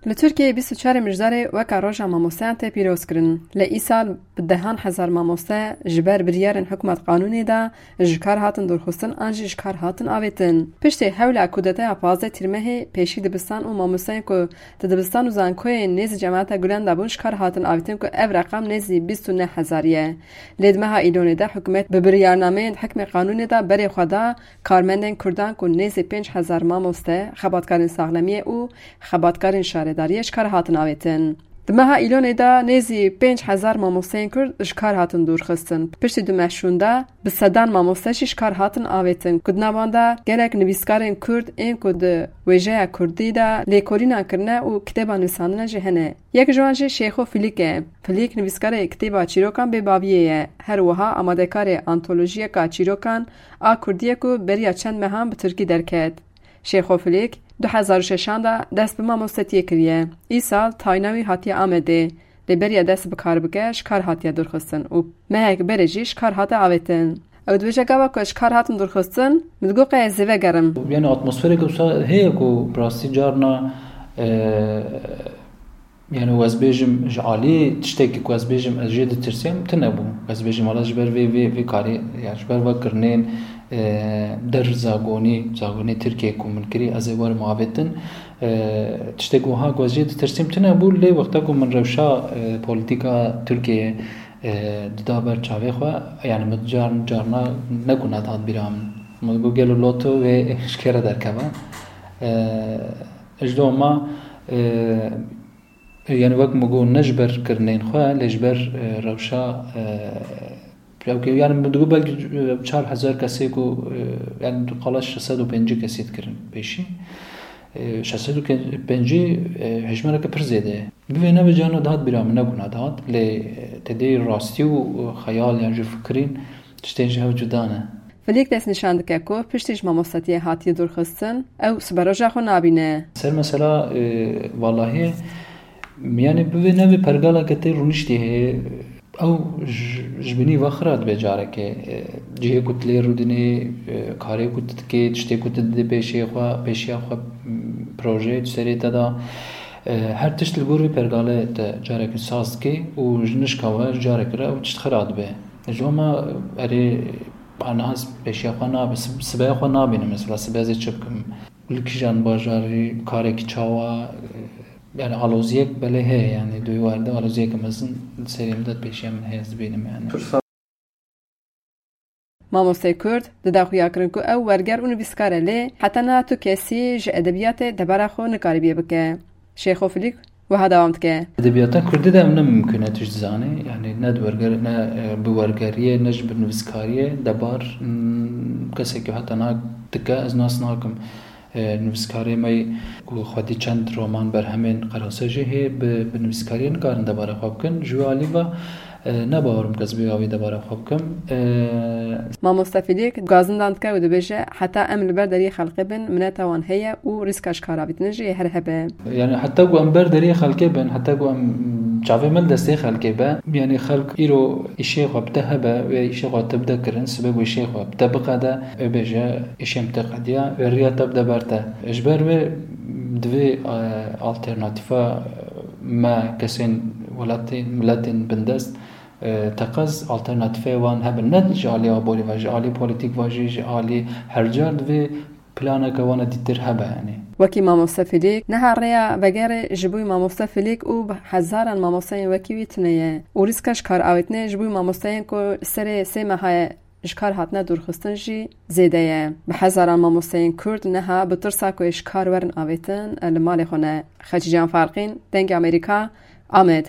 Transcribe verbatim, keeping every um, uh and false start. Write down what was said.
Li Tirkiyeyê bîst û çarê Mijdarê weka Roja Mamosteyan tê pîroz kirin. Lê îsal bi dehan hezar mamoste ji ber biryarên hikûmet qanûnê de ji kar hatin dûrxistin an jî ji kar hatin avêtin. Piştî hewla kûdeteya pazdeh Tîrmehê, pêşî dibistan û mamosteyên ku di dibistan û zankoyên nêzî Cemata Gulen de bûn ji kar hatin avêtin ku ev reqam nêzî bîst û neh hezar ye. Lê di meha Îlonê de hikûmet bi biryarnameyên hikmê qanûnê de berê xwe da karmendên Kurdan ku nêzî pênc hezar mamoste, xebatkarên saxlemiyê û xebatkarên şaredariyê ji kar hatin avêtin. Di meha Îlonê de nêzî pênc hezar mamosteyên Kurd ji kar hatin dûrxistin. Piştî du meh şûnde bi sedan mamoste jî ji kar hatin avêtin, ku di nav wan de gelek nivîskarên Kurd ên ku di wêjeya Kurdî de lêkolînan kirine û kitêba nivîsandine jî hene. Yek ji wan jî Şêxo Filîk e. Filîk nivîskarê kitêba Çîrokan Bêbaviyê ye. Her wiha amadekarê antolojiyeka çîrokan a Kurdî ye ku beriya çend mehan bi Tirkî derket. Şêxo Filîk du hezar û şeşan de dest bi mamostetiyê kiriye. Îsal tayîna wî hatiye Amedê. Lê beriya dest bi kar bike, ji kar hatiye dûrxistin û mehek berê jî ji kar hate avêtin. Ew dibêje, gava ku ji kar hatim dûrxistin, min digot qey ez ê vegerim. Yani atmosferek wisa heye ku bi rastî carna, e, yani ez bêjim ji alî tiştekî ku ez bêjim ez jê ditirsêm tune bû. Ez bêjim wala ji ber vê, vê, vê karê, yani ji ber vekirinên, e, der zagonî, zagonî Tirkiyê ku min kirî ez ê werim avêtin. E, tiştek wiha ku ez jê ditirsêm tune bû, lê wexta ku min rewşa, e, polîtîka Tirkiyeyê, e, dida ber çavê xwe, yani min car, carna nekuna dihat bîra min. Min got gelo loto wê ji kê re derkeve. E, ji doma, e, yani wek min got ne ji ber kirinên xwe, lê ji ber, e, rewşa, e, Ew ke, yani min digot belkî, e, çar hezar kesê ku, e, yani qala şeş sed û pêncî kesê dikirin pêşî. E, şeş sed û pêncî, e, hejmareke pir zêde ye. Bivê nebe carna dihat bîra min, nebûna dihat. Lê, e, te dê rastî û xeyal yan jî fikirîn tiştên ji hev cuda ne. Filîk destnîşan dike ku piştî ji mamostatiyê hatiye dûrxistin, ew siberoja xwe nabîne. Ser mesela, e, valahiyê, yani bivê nebe pergaleke tê rûniştî heye. Ew ji, ji binî ve xira dibe carekê. E, cihê ku tu lê rûdinê, e, karê ku tu dikê, tiştê ku tu didê pêşê xwe, pêşiya xwe, m, projeyê tu serê te de, e, her tişt li gor vê pergalê te carekê saz dikê û ji nişka we carekê re ew tişt xira dibe. Ji hema erê, aniha pêşiya xwe nabe, sib-, sibeya xwe nabînim mesela, sibe ez ê çi bikim? Li kîjan bajarî, karekî çawa, e, yani aloziyek belê heye, yani di wî warî de aloziyeke mezin li serê min de pêşiya min heye, ez dibînim yani. Mamosteyê Kurd dida xuyakirin ku ew werger û nivîskar e, lê heta niha tu kesî ji edebiyatê debara xwe nikaribiye bike. Şêxo Filîk wiha dewam dike. Edebiyata Kurdî de ev ne mimkun e, tu jî dizanî. Yani ne di werger-, ne, e, bi wergeriyê, ne jî bi nivîskariyê debar, mm, kesekî heta niha dike, ez nas nakim. E, nivîskarê me ku xwedî çend roman berhemên qerase jî hê bi, bi nivîskariyê nikarin debara xwe bikin. Ji wî alî ve, e, ne bawer im ku ez bi wî avî debara xwe bikim. E, Mamoste Filîk gazindan dike û dibêje, heta em li ber deriyê xelkê bin, mineta wan heye û rîska ji kar avîtinê jî yê her hebe. Yani heta ku em ber deriyê xelkê bin, heta ku em çavê me li destê xelkê be, yani xelk îro îşê xwe bi te hebe, wê îşê xwe te bide kirin, sibê ku îşê xwe bi te biqede, wê bêje, îşê min te qediya, wê riya te bide ber te. Ji ber wê divê, e, alternatîfa me kesên welatê, miletên bindest, e, teqez alternatîfeyê wan hebin. Ne ji alî aborî ve, ji alî polîtîk ve jî, ji alî her car divê planeke wana dîtir hebe, yani. Wekî mamoste Filîk, niha rêya vegerê ji bo mamoste Filîk û bi hezaran mamosteyên wekî wî tune ye û rîska ji kar avêtinê ji bo mamosteyên ku serê sê meha ye ji kar hatine dûrxistin jî zêde ye. Bi hezaran mamosteyên Kurd niha bi tirsa ku ê ji kar werin avêtin, li malê xwe ne. Xecîcan Farqîn, Dengê Amerîka, Amed.